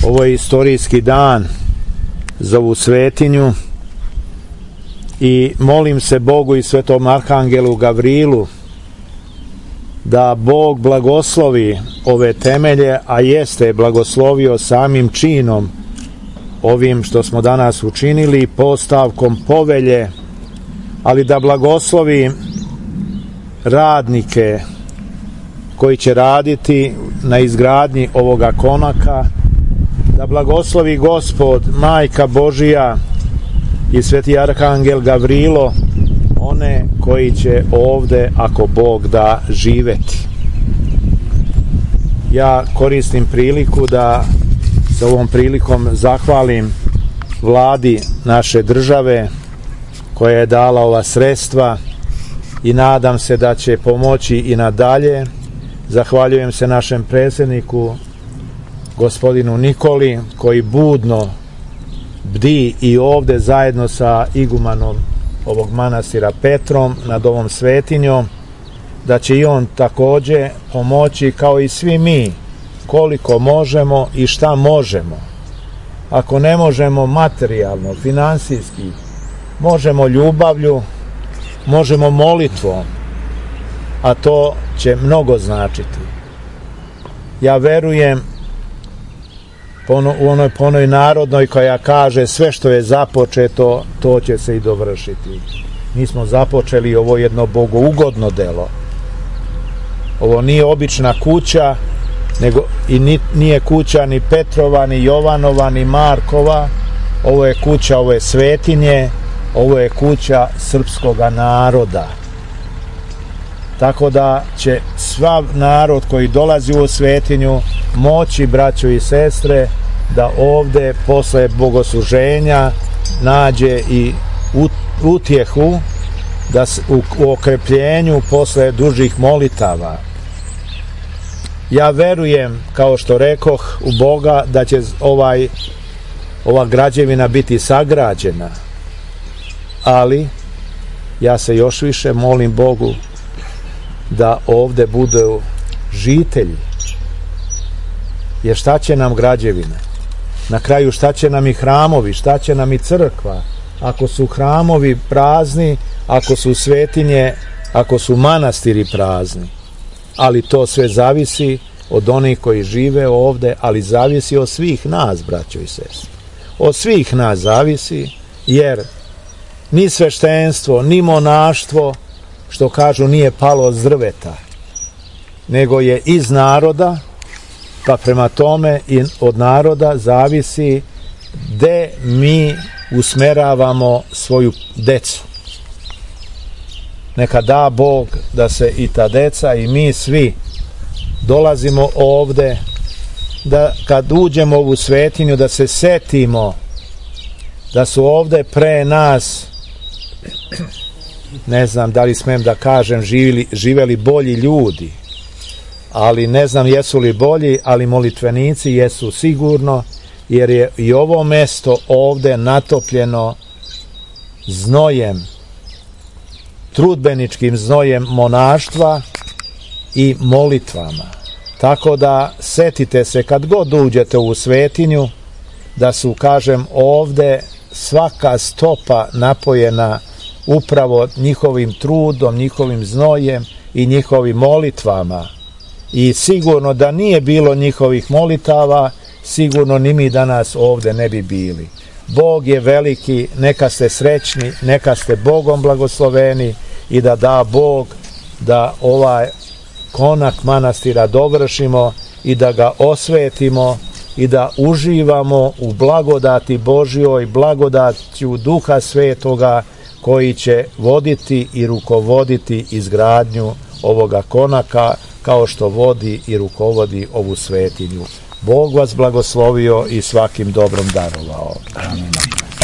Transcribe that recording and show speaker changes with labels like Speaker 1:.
Speaker 1: Ovo je istorijski dan za ovu svetinju i molim se Bogu i svetom arhangelu Gavrilu da Bog blagoslovi ove temelje, a jeste blagoslovio samim činom ovim što smo danas učinili, postavkom povelje, ali da blagoslovi radnike koji će raditi na izgradnji ovoga konaka, da blagoslovi Gospod, Majka Božija i sveti arhangel Gavrilo one koji će ovde, ako Bog da, živeti. Ja koristim priliku da sa ovom prilikom zahvalim vladi naše države koja je dala ova sredstva i nadam se da će pomoći i nadalje. Zahvaljujem se našem predsjedniku gospodinu Nikoli koji budno bdi i ovde zajedno sa igumanom ovog manastira Petrom nad ovom svetinjom, da će i on takođe pomoći kao i svi mi koliko možemo i šta možemo. Ako ne možemo materijalno, finansijski, možemo ljubavlju, možemo molitvom, a to će mnogo značiti. Ja verujem po onoj narodnoj koja kaže sve što je započeto, to će se i dovršiti. Mi smo započeli ovo jedno bogougodno delo. Ovo nije obična kuća, nego i nije kuća ni Petrova, ni Jovanova, ni Markova. Ovo je kuća ove svetinje, ovo je kuća srpskoga naroda. Tako da će svav narod koji dolazi u svetinju moći, braćo i sestre, da ovde posle bogosluženja nađe i utjehu da u okrepljenju posle dužih molitava. Ja verujem, kao što rekoh, u Boga da će ova građevina biti sagrađena, ali ja se još više molim Bogu da ovde budu žitelji. Jer šta će nam građevina? Na kraju šta će nam i hramovi, šta će nam i crkva? Ako su hramovi prazni, ako su svetinje, ako su manastiri prazni. Ali to sve zavisi od onih koji žive ovde, ali zavisi od svih nas, braćo i sestre. Od svih nas zavisi, jer ni sveštenstvo, ni monaštvo, što kažu, nije palo od drveta, nego je iz naroda, pa prema tome i od naroda zavisi gde mi usmeravamo svoju decu. Neka da Bog da se i ta deca i mi svi dolazimo ovde, da kad uđemo u ovu svetinju da se setimo da su ovde pre nas, ne znam da li smem da kažem, živeli bolji ljudi, ali ne znam jesu li bolji, ali molitvenici jesu sigurno, jer je i ovo mesto ovde natopljeno znojem, trudbeničkim znojem monaštva i molitvama. Tako da setite se kad god uđete u svetinju da su, kažem, ovde svaka stopa napojena upravo njihovim trudom, njihovim znojem i njihovim molitvama. I sigurno da nije bilo njihovih molitava, sigurno ni mi danas ovde ne bi bili. Bog je veliki, neka ste srećni, neka ste Bogom blagosloveni i da Bog da ovaj konak manastira dovršimo i da ga osvetimo i da uživamo u blagodati Božjoj, blagodaću Duha Svetoga koji će voditi i rukovoditi izgradnju ovoga konaka kao što vodi i rukovodi ovu svetinju. Bog vas blagoslovio i svakim dobrom darovao. Amen.